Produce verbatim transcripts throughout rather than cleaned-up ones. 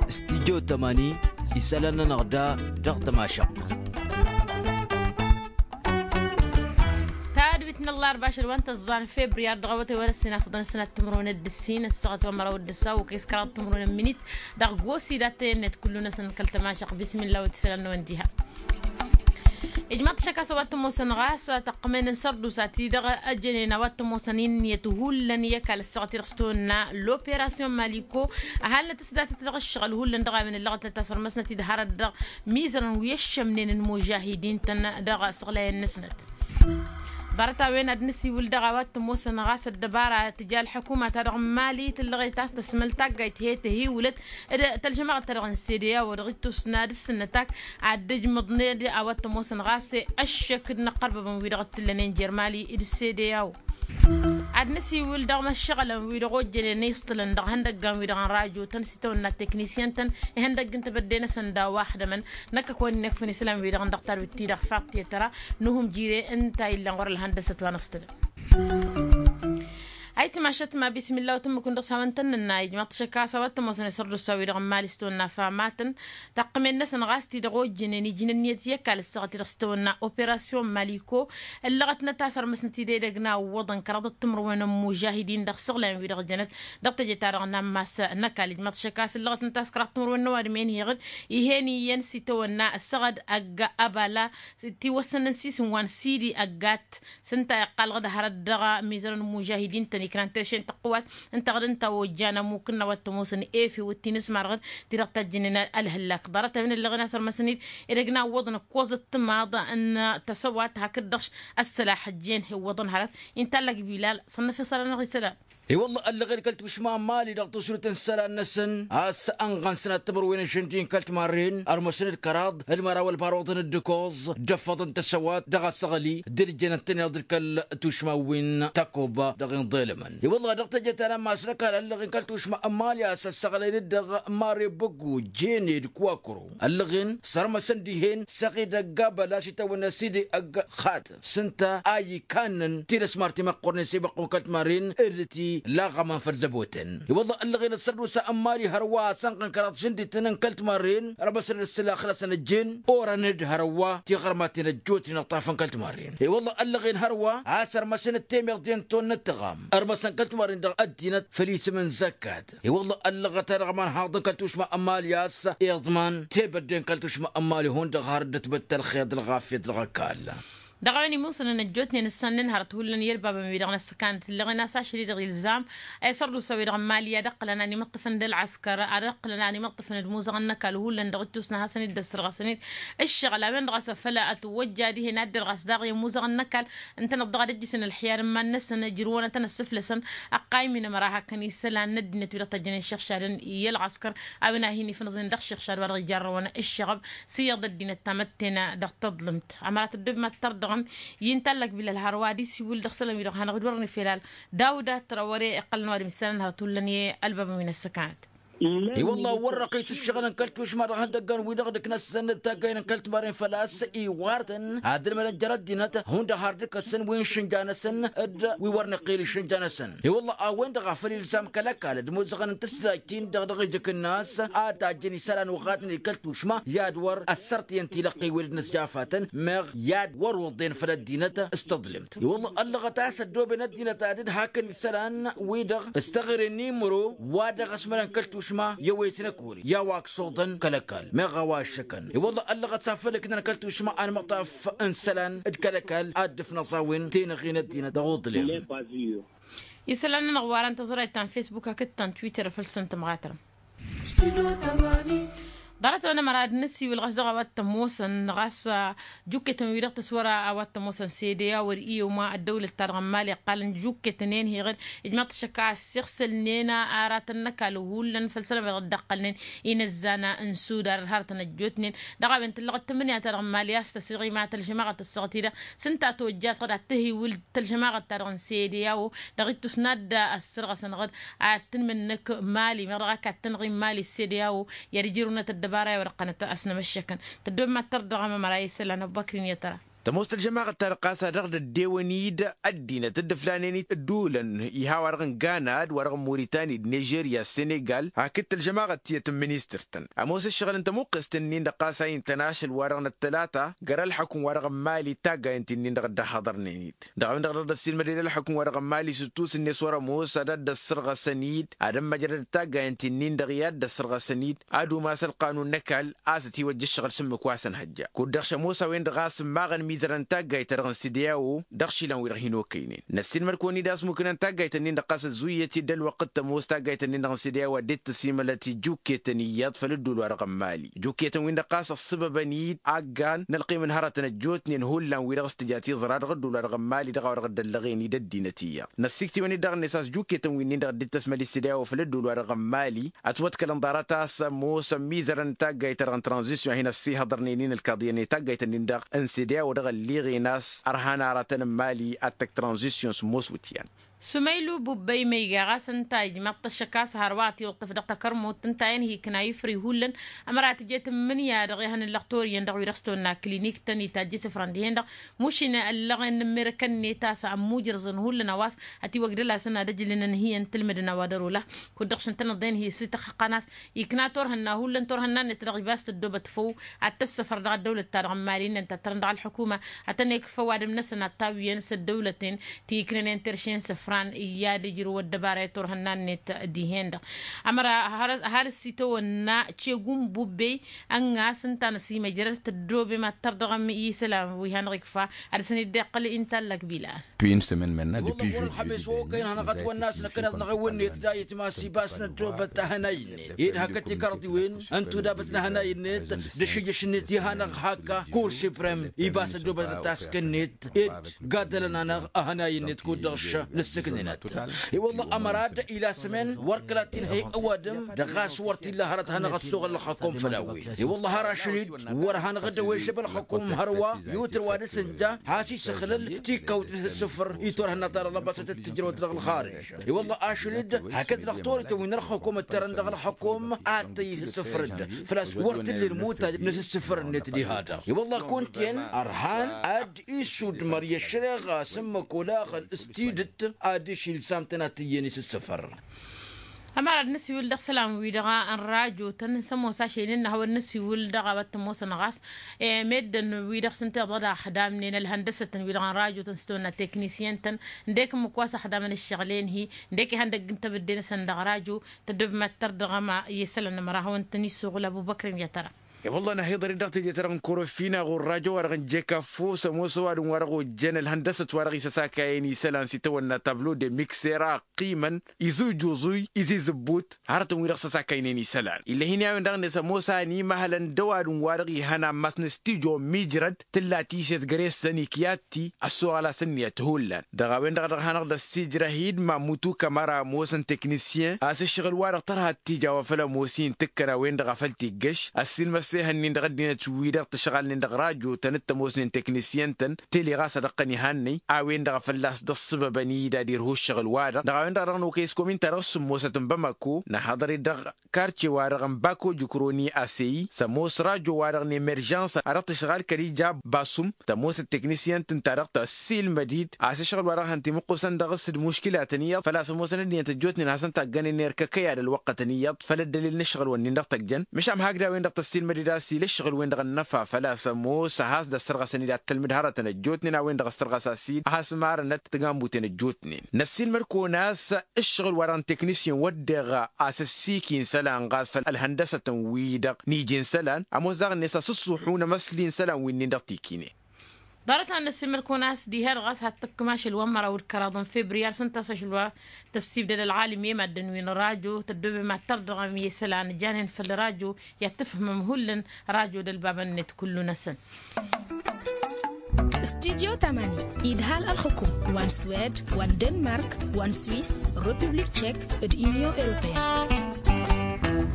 Studyo tămani isălan-nănăɣ da dăɣ-tămašăɣt. Tadwit n-ăllarba ašăl wa n-tăẓẓan febriyar dăɣ-awătay wa n-ăssinafăḍăn sănat timǝrwen d-ǝssin ăssaɣăt wa n-măraw d-ǝssaw okăy s-kăraḍ timǝrwen n-minit dăɣ-gosi d-attăyăn-net kullu-năsăn kăl-tămašăɣt bismillah wa t-isălan n-wăn diha. Ijmaḍ-t šăkk a-s a-wa t-ămoosăn ɣas tăqqǝmen n-sărdusa-ti-dăɣ ăjănen a-wa t-ămoosăn inniyăt hullan i-ăkall ăssaɣăt-i-dăɣ s-tawănna l-operasyon maliko. Ăhalnăt s-datăt dăɣ-ǝššăɣǝl hullan dăɣ-a-wen ǝllăɣăt n-ad-tasărmăsnăt-dd hărăt dăɣ-mizărăn wi ăššămnen n-imužahidin-tăn dăɣ-isăɣlayăn-năsnăt. Ḍarăt-a-wen ad-nǝsiwǝl dăɣ-a-wa t-ămoosăn ɣas ăddăbara tǝja ălḥăkuma-ta-dăɣ n-mali tǝllăɣet a-s tăsmăl taggayt he-tăhiwǝlăt d-tălžămaɣăt-ta-dăɣ n-sedeya wa dăɣ-ittus n-ad-ǝssǝnnăt-ak ad-dd-ǝjmǝḍned a-wa t-ămoosăn ɣas ăššăk d-inăqqărbăbăn wi-dăɣ t-ǝllănen jer-mali d-sedeya wa. Ad-nǝsiwǝl dăɣ-imăššăɣălăn wi-dăɣ ojjănen iṣṭǝlăn dăɣ-ihăndăggan wi-dăɣ n-rajo-tăn s-itawănna teknisyăn-tăn ihăndăgg n-tebădde-năsăn daw-a ăxdămăn. Năkk a kăwăn-in-ekfǝn isălan-wi-dăɣ n-dăɣ-tadwit-ti-dăɣ faḍt i-tăra n-uhǝm jire ǝnta a illăn ɣur-ălhăndăsăt wa n-ăṣṭǝlăn. Ayǝtmašăt ma bismilla wa tǝmmǝkǝn dăɣ-s hawăn-tăn-nǝnna ijmăḍ-t šăkk a-s a-wa t-ămoosăn isărdusa-wi-dăɣ n-imali s-tawănna famatăn. Taqqǝmen-năsăn ɣas ti-dăɣ ojjănen iji n-ǝnniyăt i-ăkall ǝssaɣăt-i-dăɣ s-tawănna operasyon maliko. Ǝllăɣătnăt a-s ărmăsnăt-dd edăgg n-a ǝwwăḍăn kăraḍăt timǝrwen n-imužahidin dăɣ-isăɣlăyăn-wi-dăɣ jănăt dăɣ-teje-ta-dăɣ n-ammas n-ăkall ijmăḍ-t šăkk a-s ǝllăɣătnăt a-s kăraḍ timǝrwen n-ăwadǝm enheɣ-dd. Ih'-en iyyăn s-itawănna ăssaɣăd ăgg abala tiwăssăn n-sisǝnwa n-sidi ăggat. S-ǝnta iqqal dăɣ-hărăt dăɣ-mizărăn n-imužahidin-tăn iknan terše n-tăqqǝwat ǝnta ɣǝd ǝnta a ojjan ămmuk n-a-wa t-ămoosăn efe wăt-ti n-ismar ɣǝd ti-dăɣ tajjǝnnen ălhǝllak ḍarăt-a-wen ăllăɣen a-s ărmăsăn-dd edăgg n-a ǝwwăḍăn ǝkkoẓ d-timaḍ n-tăsăwat hakd-dăɣ ăssălaḥ ăjjeen he-ǝwwăḍăn hărăt. Intallăg bilal s-ănnăfeṣăl-anăɣ isălan. I-wălla ăllăɣen kăl-tušma n-mali dăɣ-tusrut n-isălan-năsăn a-s ănɣăn sănat timǝrwen n-išǝndi n-kăl-timarren ărmăsăn-dd kăraḍ d-măraw ălbaruḍăn d-ǝkkoẓ d-ăffăḍăn tăsăwat dăɣ-asăɣli d-ǝljenăt-tăn iḍǝl kăl-tušma wi n-takoba dăɣ-inḍelămăn. I-wălla dăɣ-teje ta n-ammas n-ăkall ăllăɣen kăl-tušma n-mali a-s ăssăɣlăyăn-dd dăɣ-mare băggu jene d-kwakro ăllăɣen sărmăsăn dihen săɣid ăgg abăla s-itawănna sidi ăgg xatăf s-ǝnta a ikannăn tinăsmar timăqqornen s-ibăqqun kăl-timarren d-ti laɣămăn făll-zăboten. I-wălla ăllăɣen ăssărdusa n-mali hărwa a-s ănɣăn kăraḍ šǝndităn n-kăl-timarren ărmăsăn-dd ǝssǝlax-năsăn ăjjeen orăn-dd hărwa tiɣărmaten ăjjootnen ǝṭṭafăn kăl-timarren. I-wălla ăllăɣen hărwa a-s ărmăsăn d-temeḍe n-tonnăt tăɣam ărmăsăn kăl-timarren dăɣ-ăddinăt făll-isǝm n-zăkkat. I-wălla ăllăɣăt-anăɣ imanhaḍ n-kăl-tušma n-mali a-s iḍman tebădde n-kăl-tušma n-mali hundăɣ har dd-tibăttăl ălxer d-ălɣafyăt dăɣ-ăkall. Dăɣ-a-wen imusăn ănăjjootnen ǝssannen hărăt hullan i-ălbabăn-wi-dăɣ n-ăssăkanăt ǝllăɣen a-s ašăl-i-dăɣ ilzam a isărdusa-wi-dăɣ n-mali ad-ǝqqǝlăn ad-imǝṭṭǝfăn d-ălɣăskăr ad-ǝqqǝlăn ad-imǝṭṭǝfăn d-imuzăɣăn n-ăkall hullan dăɣ-ittus n-ad-hasăn-dd-ăssărɣăsăn-dd ǝššăɣǝl a-wen-dăɣ a-s făl ătwăjja dihen ad-dd-ărɣas daɣ i-imuzăɣăn n-ăkall ǝntăneḍ-dăɣ ad-ǝjjǝsăn ălxiyar n-iman-năsăn ǝjrǝwăn ad-tăn-ăssǝflăsăn. Ăqqayǝm-in ămăra hakăn isălan n-ăddinăt wi-dăɣ tăjjănen šăɣšadăn i-ălɣăskăr a-wen a hin-ifnǝẓen dăɣ-šăɣšad wa dăɣ-ijarrăwăn ǝššăɣăb s-iyyăḍ ăddinăt tamătte-nănăɣ dăɣ-taḍlǝmt. Ămăra tăddob mad-tărdăɣăm i-ǝntallăk bilal hărwa ad-isiwǝl dăɣ-isălan-wi-dăɣ hanăɣ-dd-wărăn ifel al dawda tărawăre iqqălăn ăwadǝm isălan hărăt hullan i-ălbabăn wi n-ăssăkanăt. I-wălla wăr-răqis ǝššăɣǝl n-kăl-tušma dăɣ-ihăndăggăn-wi-dăɣ dd-ǝknăsăn d-taggăyăn n-kăl-timarren făl-a-s iwartăn ad-ǝlmădăn jer-ăddinăt hundăɣ har dd-ǝkkăsăn wi n-išǝnja-năsăn d-wi wăr nǝqqil išǝnja-năsăn. I-wălla a-wen-dăɣ a făl ilzam kăl-ăkall d-imuzăɣăn n-tǝslajt-in-dăɣ dăɣ-ijǝk-nas ad-tajjăn isălan uɣatnen i-kăl-tušma i-ad-wăr ăssărtǝyăn tilăqqi wi dd-nǝsjafatăn meɣ i-ad-wăr-uḍen făll-ăddinăt s-tăḍlǝmt. I-wălla ăllăɣăt a-s ăddooben ăddinăt ad-dd-hakăn isălan-wi-dăɣ s-teɣăre n-imro wa dăɣ-ăsmărăn kăl-tušma i-ăwet n-ăkori i-a-wa ăksuḍăn kăl-ăkall meɣ a-wa ăššăkăn. I-wălla ăllăɣăt s-afăl ǝknăn kăl-tušma anmăṭṭaf n-isălan d-kăl-ăkall ad-dd-ǝfnăẓ a-wen tenăɣe n-ăddinăt dăɣ-uḍlem. Isălan-nănăɣ wa răn tăẓrayt ta n-fesbuk hakd ta n-twitter făll-săn tămɣatărăm. Ḍarăt-a-wen ămăra ad-nǝsiwǝl ɣas dăɣ-a-wa t-ămoosăn ɣas jukketăn-wi-dăɣ tǝswăra a-wa t-ămoosăn sedeya wăr-i ăwma ăddăwlăt-ta-dăɣ n-mali ăqqalăn jukketăn-en heɣ-dd ijmăḍ-t šăkk a ăssiɣsălnen aratăn n-ăkall hullan făll-isălan-wi-dăɣ dd-ăqqălnen inăzzan n-sudar d-hărătăn ăjjootnen. Dăɣ-a-wen tǝllăɣăt tǝmmǝnǝya-ta-dăɣ n-mali a-s tăsiɣima tălžămaɣăt ăssaɣăt-i-dăɣ s-ǝnta tojjat ɣǝd ad-tăhiwǝl tălžămaɣăt-ta-dăɣ n-sedeya-o dăɣ-ittus n-ad-ăssărɣăsăn ɣǝd ad-tǝnmǝnnǝk mali meɣ dăɣ-ak ad-tǝnɣim mali s-sedeya-o. I-ad-ǝjrǝwnăt ăddăbara i-wăr ăqqănăt a-s nămăššăkăn tăddob mad-tărdăɣăm ămăra isălan ăbbăkrin i-tăra. Tămoos tălžămaɣăt-ta-dăɣ ɣas a dăɣ-dd-ăddewăn-dd ăddinăt dd-ǝflanen-dd ădduulăn iha wa-dăɣ n-gana d-wa-dăɣ n-muritani d-nižerya s-senegal hakd tălžămaɣăt tiyyăt n-ministăr-tăn. Ămoos ǝššăɣǝl n-tămuqqest-nin-dăɣ ɣas a intăn ašăl wa-dăɣ n-ăttălata găr-ălḥukǝm wa-dăɣ n-mali taggayen-ti-nin-dăɣ dd-ăhhăḍărnen-dd. Dăɣ-a-wen-dăɣ dăɣ-dd-ăssiilmăd i-dd ălḥukǝm wa dăɣ-n mali s-ǝttus-net wăr-ămoos ad-dd-ăssărɣăsăn-dd ad-ămmăjrădăd taggayen-ti-nin-dăɣ i-ad-dd-ăssărɣăsăn-dd ad-umas ălqanun n-ăkall a-s ătiwăjja ǝššăɣǝl s-ǝmmǝk wa s-ănhăjja kud-dăɣ šămoos a-wen-dăɣ a-s ǝmmaɣăn imizărăn n-taggayt-ta-dăɣ n-sideyao. Dăɣ-išilan-wi-dăɣ hin-okăynen năssiilmăd-kăwăn-dd a-s mukǝnăn taggayt-nin-dăɣ ɣas ăzzuyǝyăt-dd ălwăqq d-tămoos taggayt-nin-dăɣ n-sideyao a dd-tăsimălăt ijjukketăn iyyăḍ făll-ăddul wa dăɣ-n mali ijjukketăn-win-dăɣ ɣas ăṣṣăbăbăn-dd aggan n-ălqim n-hărătăn ăjjootnen hullan wi-dăɣ s-tǝja tiẓra dăɣ-ăddul wa dăɣ-n mali dăɣ-a-wa dăɣ-dd-ăllăɣen-dd ăddinăt iyyăḍ. Năssiktǝwăn-dd dăɣ-net a-s jukketăn-winnin-dăɣ dd-tăsmăl i-sideyao făll-ăddul wa dăɣ-n mali ătwăḍkălăn ḍarăt a-s ămoos ămmizărăn n-taggayt-ta-dăɣ n-tranzisyon a hin-ăssihăḍărnen-in ălkaḍiyăn i-taggayt-nin-dăɣ n-sideyao dăɣ-ălliɣen a-s ărhan aratăn n-mali ad-tăkk tranzisyon sǝmmos wǝtyan. Sumăylu bubbăy ma iga ɣas ǝnta ijmaḍ-t ăššăk a-s hărwa ătiwǝṭṭǝf dăɣ-takărmut ǝnta-en hi-ikna ifri hullan. Ămăra tǝjet n-imǝnǝya-dăɣ ehăn n-lăxtor iyyăn dăɣ-wi-dăɣ s-tăwănna kilinik-tăn itajj isǝfran dihen-dăɣ mušin ăllăɣen n-immerăkăn-net a-s ămmujrǝẓăn hullan a-wa s-ătiwăgdăl a-s ănadăjlǝnăn hi-ăntǝlmǝdăn a-wa dăr-ola. Kud-dăɣ šăn tănăḍen hi-s ităxxăqqăn a-s ikna turhǝnna hullan turhǝnna-net dăɣ-ibas tăddobăt făw ad-tăssăfăr dăɣ-ăddăwlăt-ta-dăɣ n-mali-nen ta tărăn dăɣ-ălḥukuma ad-tăn-ikf ăwadǝm-năsăn ad-tawǝyăn s-ăddăwlăten ti iknănen terše n-isǝfran i-ad-ijrǝw ăddăbara i-turhǝnna-net dihen-dăɣ. Ămăra ăhalǝs itawănna cegu n-bubbey ănn'-as ǝnta n-asimăjrăd tăddoobem ad-tărdăɣăm i-isălan wi hanăɣ-ikfa ad-dăr-săn-dd-iqqăl intallăk bila. Dăɣ-wăr ălxămes wa okăyăn hanăɣ-ătwănna a-s năkkăneḍ-năɣ ewănnet dayǝt ma s-ibas n-ăddoobăt ahănay-net ed hakd tikărḍiwen n-tudabăt n-ahănay-net d-ašǝjjăš-net i-hanăɣ-hak kur siprem ibas ăddoobăt ătaskăn-net ed gaddălăn-anăɣ ahănay-net kud-dăɣ s-nǝssǝknǝnăt. I-wălla ămăra d-ila sămen wăr kăla t-inhăy ăwadǝm dăɣ-a-s wăr t-illa hărăt hanăɣ-ăssoɣăl ălxăkom făll-a-wen i-wălla har ašăl-dd wăr hanăɣ-dd-ăwešăb ălxăkom hărwa yutǝr wa dăr-s ǝnja has-isǝxlǝl tikawt s-ǝssǝfăr i-turhǝnna-ta-dăɣ lăbasăt d-tǝjrăwăt dăɣ-ălxarǝj. I-wălla ašăl-dd hakd lăxtorităn wi n-ălxăkom ǝttărăn dăɣ-ălxăkom ad-tăyyǝs ǝssǝfăr-dd făl-a-s wăr t-ǝllen mutad n-asǝssǝfăr-net diha-dăɣ. I-wălla kunta-en ărhan ad-isudmăr i-ăššăreɣa s-ǝmmǝk olaɣăn s-tidǝt ad-išil sam-tăn ad-t-iyyăn isǝssǝfăr. Ămăra d-nǝsiwǝl dăɣ-isălan-wi-dăɣ n-rajotăn s-ămoos ašăl-in n-ad-hawăn-nǝsiwǝl dăɣ-a-wa t-ămoosăn ɣas meddǝn-wi-dăɣ s-ǝnta iḍăḍ a ăxdamnen ălhăndăsătăn-wi-dăɣ n-rajotăn s-tăwănna teknisyăn-tăn ǝndek ǝmmǝk wa s-ăxdamăn ǝššăɣǝl-en-hi ǝndek ihăndăgg n-tebădde-năsăn dăɣ-rajo. Tăddobem ad-tărdăɣăm i-isălan ămăra ad-hawăn-tăn-issooɣǝl abu băkrem i-ad-tăra. I-wălla n-ahiḍăr-i dăɣ-teje-ta-dăɣ n-korofina ɣur-rajo wa dăɣ-n jekafos ămoos ăwadǝm wa dăɣ-ojjăn ălhăndăsăt wa dăɣ-isăsakayăn isălan s-itawănna tablo de miksera ăqqimăn izujuẓuy izizǝbbut hărătăn-wi-dăɣ săsakaynen isălan. Ill'-e-hin i-a-wen-dăɣ-net ămoos a ănimăhălăn d-ăwadǝm wa dăɣ-ihăn ammas n-stijo n-mijrăd tǝlla tiset găre-săn ikyatti ăssoɣăl-as ǝnniyăt hullan. Dăɣ-a-wen-dăɣ dăɣ-hanăɣ-dd-ăssijrăh-dd mamutu kămăra ămoosăn teknisyen a-s ǝššăɣǝl-wa-dăɣ tărha d-tija wa făl ămoos-i n-tǝkkăra-wen-dăɣ a făl t-iggăš ăssiilmăs ehăn-nin dăɣ-ăddinăt-wi-dăɣ tǝšɣalnen dăɣ-rajo-tăn d-tămoosnen teknisyen-tăn tele ɣas ad-ăqqăn ihannăy a-wen-dăɣ a fălla-s dd-ăṣṣăbăbăn-dd ad-irhu ǝššăɣǝl-wa-dăɣ. Dăɣ-a-wen-dăɣ a dăɣ-nokăy s-komin-ta-dăɣ s-sǝmmosăt n-bamako năhhăḍăr-dd dăɣ-karce-wa-dăɣ n-bako jukroni aseyi s-ămoos rajo-wa-dăɣ n-emeržăns a dăɣ-tǝšɣal kăl-ija basum tămoosăt teknisyen-tăn ta dăɣ-tăssiilmăd-dd a-s ǝššăɣǝl-wa-dăɣ hăn timǝqqusăn dăɣ-s d-muškǝlatăn iyyăḍ făl-a-s ămoosăn ăddinăt ăjjootnen ad-hasăn-taggănen erk ăkăy ad-ălwăqqătăn iyyăḍ făll-ăddălil n-ǝššăɣǝl-wǝnnin-dăɣ tăjjăn. Măšan hakd a-wen-dăɣ tăssiilmăd-dd a-s ila ǝššăɣǝl-wen-dăɣ ănnăfa făl-a-s ămoos ad-has-dd-ăssărɣăsăn-dd ad-tălmǝd hărătăn ăjjootnen a-wen-dăɣ ăssărɣăs a-s-dd ad-has-marănăt tăgammuten ăjjootnen. Năssiilmăd-kăwăn a-s ǝššăɣǝl-wa-dăɣ n-teknisyen wădden ɣas ăssiik-i n-isălan ɣas făll-ălhăndăsătăn-wi-dăɣ n-iji n-isălan ămoos daɣ-net a-s ǝṣṣuḥu n-emăsli n-isălan wi-nin-dăɣ tikinen. Ḍarăt-a n-năssiilmăd-kăwăn a-s diha-dăɣ a-s had-tǝkkǝm ašăl wa n-măraw d-kăraḍ n-februar s-ǝnta a-s ašăl wa tăssibdăd ălɣalim i-maddǝn wi n-rajo tăddoobem ad-tărdăɣăm i-isălan janen făll-rajo i-ad-tǝfhǝmăm hullan rajo d-ălbabăn-net kullu-năsăn. Studyo tamani idhal ălxukum wa n-swed wa n-denmark wa n-swis, republik tchek d-inyon europeen.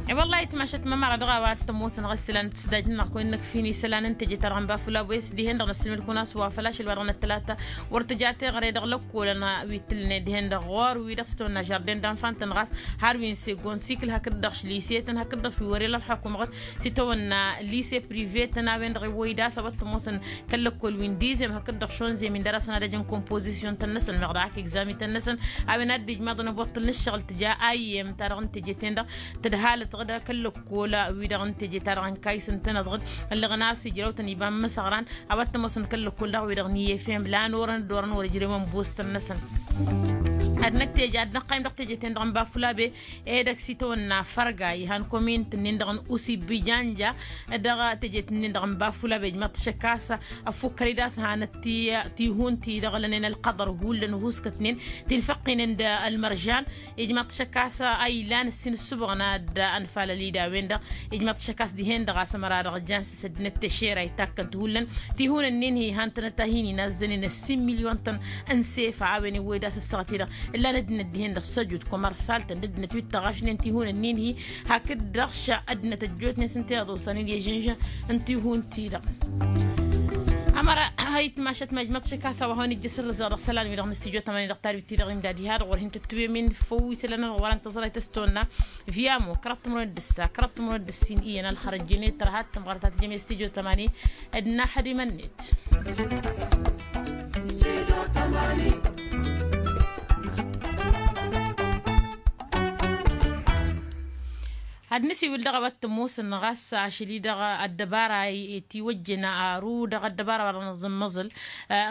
E-wălla-hi tmašăt mămăra dăɣ-a-wa t-ămoosăn ɣas isălan n-tǝsdaj-nănăɣ kăwăn-năkf hin-isălan n-teje-ta-dăɣ n-bafula băyăs dihen-dăɣ n-ăssǝlmǝd kunaswa făl ašăl wa dăɣ-năttălata wăr tǝja teɣăre dăɣ-lăkkolăn wi t-ǝllănen dihen-dăɣ ɣur-wi-dăɣ s-tăwănna žarden d-anfan-tăn ɣas har wi n-segon sikǝl hakd-dăɣ lise-tăn hakd-dăɣ wi wăr-ila ălxukum ɣǝd s-tăwănna lise prive-tăn a-wen-dăɣ iwwăy d-a-s a-wa t-ămoosăn kăl-lăkkol wi n-dizem hakd-dăɣ šonzem-in d-ad-asăn ad-ăjăn kompozisyun-tăn-năsăn meɣ dăɣ-ak egzami-tăn-năsăn a-wen ad-dd-ijmaḍăn ăboṭṭăl n-ǝššăɣǝl tǝja ayyem-ta-dăɣ n-teje-ten-dăɣ tǝdhalăt ɣǝd kăl-lăkkol wi-dăɣ n-teje-ta-dăɣ n-kayǝs ǝntăneḍ ɣǝd ǝllăɣăn a-s ijrăw-tăn iba n-imǝsăɣran a-wa t-ămoosăn kăl-lăkkol daɣ wi-dăɣ n-i f m lan orăn dd-orăn wăr-ǝjrewăn bos-tăn-năsăn. Ad-năkk teje ad-năqqayǝm dăɣ-teje-ten-dăɣ n-bafulabe edăgg s-itawănna fărga ihan komint-nin-dăɣ n-usibijanja dăɣ-tejet-nin-dăɣ n-bafulabe ijmaḍ-t šăkk a-s ăffukkăr-dd a-s hanăt ti-hun-ti-dăɣ lănen ălqăḍăr hullan ăhuskătnen ti n-făqqinen d-ălmăržan. Ijmaḍ-t šăkk a-s a ilan ǝssin ǝssǝbɣăn ad-ănfalăl-dd a-wen-dăɣ ijmaḍ-t šăkk a-s dihen-dăɣ a-s ămăra dăɣ-jan s-săddinăt tešera itakkăn-t hullan. Ti hun-ǝnnin-hi han-tănăt a hin-inazzănen ǝssin milyon-tăn n-sefa a-wen iwwăy d-a-s ǝssăɣăt-i-dăɣ ǝllan ăddinăt dihen-dăɣ săjut kămărsal-tăn d-ăddinăt wi t-ăɣašnen ti hun-ǝnnin-hi hakd-dăɣ šăddinăt ăjjootnen s-ǝnta i-ad-osanen i-žǝnžăn n-ti hun-ti-dăɣ. Ămăra a itmašăt ma ijmăḍ šăkk a-s a-wa hawăn-ijjăš ǝrrǝzăɣ dăɣ-isălan-wi-dăɣ n-studyo tămani dăɣ-talwit-ti-dăɣ imdad ihad ɣur-hin-tǝttǝwem-in făw isălan-nănăɣ wăren tăẓrayt s-tonna via mo kăraḍ timǝrwen d-ǝssa kăraḍ timǝrwen d-ǝssin iyyăn ălxărăt jene tărha d-tămɣăr ta tǝjjăm i-studyo tămani d-naxădimăn-net. Ad-nǝsiwǝl dăɣ-a-wa t-ămoosăn ɣas ašăl-i-dăɣ ăddăbara i-tiwăjjen aru dăɣ-ăddăbara wa dăɣ-năẓǝmmăẓǝl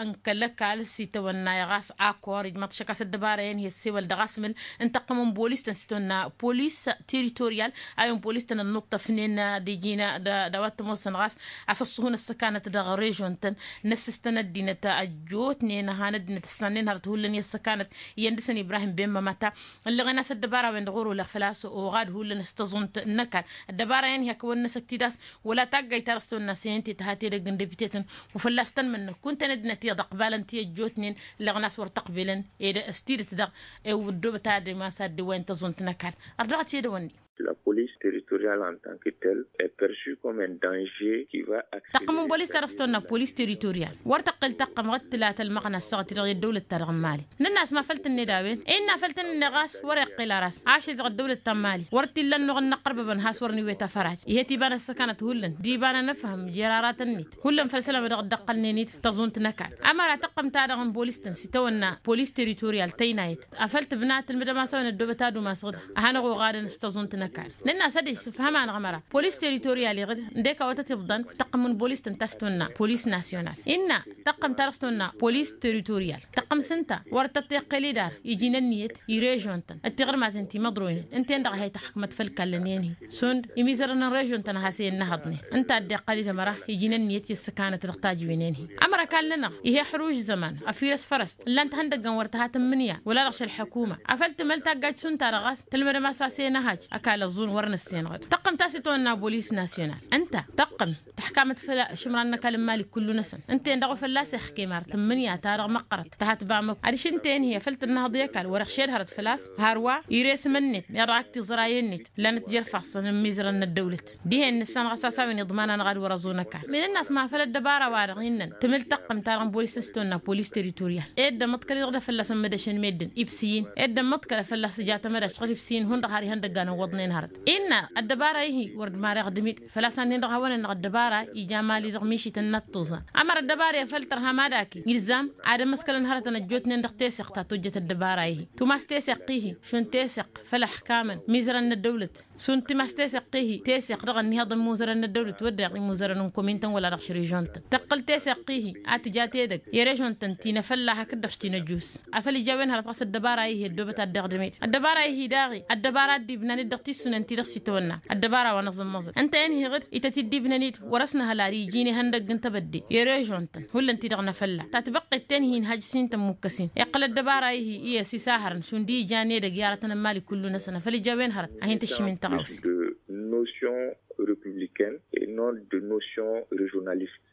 n-kăl-ăkall s-itawănna i-ɣas akor ijmaḍ-t šăkk a-s ăddăbara-en hi-ăssewăl dăɣ-asmǝl n-tăqqǝm n-bolis-tăn s-itawănna polis teritorial a-wen polis-tăn ănnuṭṭăfnen d-iji-nănăɣ d-a-wa t-ămoosăn ɣas a-s ăṣṣuhǝn ăssăkanăt dăɣ-režon-tăn năssǝstăn ăddinăt ăjjootnen a han ăddinăt ǝssannen hărăt hullan i-ăssăkanăt iyyăn dăɣ-săn ibrahim ben mămăta. Ǝlleɣen a-s ăddăbara-wen-dăɣ wăr-olăɣ făl-a-s oɣad hullan s-tăẓunt n-ăkall ăddăbara-en hi-ad-kăwăn-năsăk tidas wăla taggayt ta dăɣ-s tăwănna săyăn ti tăha tedăgg n-depite-tăn wa fălla-s tăn-mănnăk kunta-en ăddinăt iyyăḍ ăqbalăn ti ăjjootnen ǝlleɣen a-s wăr t-ăqbelăn ed s-tidǝt daɣ. Ewăr ăddoobăt ad-imas ad-dd-iwwăyăn tăẓunt n-ăkall ărdăɣăt i-dăwănni. La police territoriale en tant que telle est perçue comme un danger qui va acceler. Tăqqǝm n-bolis ta dăɣ-s tăwănna polis territorial wăr tăqqǝl tăqqǝm ɣǝd tǝla tălmăɣna ăssaɣăt-i-dăɣ i-ăddăwlăt-ta-dăɣ n-mali. Nǝnn'-as ma făl tǝnned a-wen innă făl tǝnned ɣas wăr-iqqǝl ar a-s ašăl-i-dăɣ ăddăwlăt ta n-mali wăr t-illa ănnuɣ ănnăqqărbăbăn has-wăr nǝwwet afăraj. Ihet iba n-ăssăkanăt hullan d-iba n-anăfhăm jer-aratăn-net hullan făll-isălan wa dăɣ-dd-ăqqălnen-dd tăẓunt n-ăkall. Ămăra tăqqǝm-ta-dăɣ n-bolis-tăn s-itawănna polis territorial tăynayăt afăl tǝbna tǝlmǝdăm-as a-wen ăddoobăt ad-umas ɣǝd ad-hanăɣ-oɣadăn s-tăẓunt n-ăkall. Nǝnn'-as ad-issǝfhăm-anăɣ ămăra polis territorial iɣǝd ǝndek awătăt iḍḍăn tăqqǝm n-bolis-tăn ta s-tăwănna polis nasyonal. Innă tăqqǝm ta dăɣ-s tăwănna polis territorial tăqqǝm s-ǝnta wăr tăt-iqqăl-dd ar iji n-ǝnniyăt i-režon-tăn d-tiɣrǝmaten ti măḍroynen ǝnta-en-dăɣ a hi-tăxkmăt făll-ikallăn-en-hi šund imizărăn n-režon-tăn a has-e-ănnăhăḍnen. Ǝnta a dd-iqqăl-dd ămăra iji n-ǝnniyăt i-ăssăkanăt dăɣ-tajǝwen-en-hi. Ămăra ăkall-nănăɣ ih'-e ăḥruž zăman ăfirăs fărăst ǝllan-t ihăndăggăn wăr tăha tǝmmǝnǝya wăla dăɣ-šăl ḥăkuma. Afăl tǝmăl taggajt šund ta dăɣ-a-s tǝlmădăm a-s a-s e-năhaj ăkall ăẓẓun wăr nǝssenɣăd tăqqǝm ta s-itwănna bolis nasyonal. Ǝnta tăqqǝm tăxkamăt făll-ašǝmran n-ăkall n-imali kullu-năsăn. Ǝnta-en-dăɣ wa fălla-s ixkem ar tǝmmǝnǝya ta dăɣ-măqqărăt tăha tǝba măkk adiš ǝnta-en-hi afăl tǝnnăhăḍ i-ăkall wăr-ixšed hărăt făl-a-s. Hărwa ires imǝnnet meɣ dăɣ-ak tiẓrayen-net ǝllanăt jer-ifassăn n-imizărăn n-ăddăwlăt dihen nǝssanăɣ a-s a-s a-wen iḍman-anăɣ ad-wăr-ăẓun ăkall. Min ǝnn'-as ma făl ăddăbara-wa-dăɣ innăn tǝmǝl tăqqǝm-ta-dăɣ n-bolis n-s tăwănna polis territorial. Ed ămmăḍkăl-i-dăɣ d-afălla-s ămmădăšăn meddǝn ibsǝyǝn ed ămmăḍkăl afălla-s tǝja tamădašt ɣǝd ibsǝyǝn hundăɣ har ihăndăggan ǝwwăḍnen hărăt. Innă ăddăbara-i-hi wăr dd-mareɣ dămit făl-a-s annen-dăɣ hawăn-ănneɣ ăddăbara ija mali dăɣ-mišităn n-ăṭṭuẓa. Ămăra ăddăbara i-afăl tărha mad-aki ilzam ad-ămăskălăn hărătăn ăjjootnen dăɣ-teseɣt ta tojjăt ăddăbara-i-hi tumas teseɣt-i-hi šund teseɣt făll-ăxkamăn mizărăn n-ăddăwlăt šund tumas teseɣt-i-hi teseɣt dăɣ-ănnihăḍ n-imuzărăn n-ăddăwlăt wădden imuzărăn n-komintăn wăla dăɣ-šrežon-tăn tăqqǝl teseɣt-i-hi ad-tǝja tedăgg i-režon-tăn ti n-afălla hakd-dăɣ-s ti n-ăjus. Afăl ija a-wen hărăt ɣas ăddăbara-i-hi ăddoobăt ad-dd-iɣdǝm-dd ăddăbara-i-hi daɣ-i ăddăbara a dd-ibnan-dd dăɣ-tissunen-ti-dăɣ s-itawănna ăddăbara wa n-aẓǝmmăẓǝl. Ǝnta-en-hi ɣǝd ităt-dd-ibnăn-dd wăr-ăsnăhăl ar iji n-ihăndăgg n-tebădde i-režon-tăn hullan-ti-dăɣ n-afălla ta tibăqqet ten-hi n-hajj s-hin-tămmukăsin iqqăl ăddăbara-i-hi i-asisahărăn šund ijan edăgg i-aratăn n-imali kullu-năsăn afăl ija a-wen hărăt a hin-tǝššǝm-in tăɣawse. Notion republicaine et non de notion régionaliste.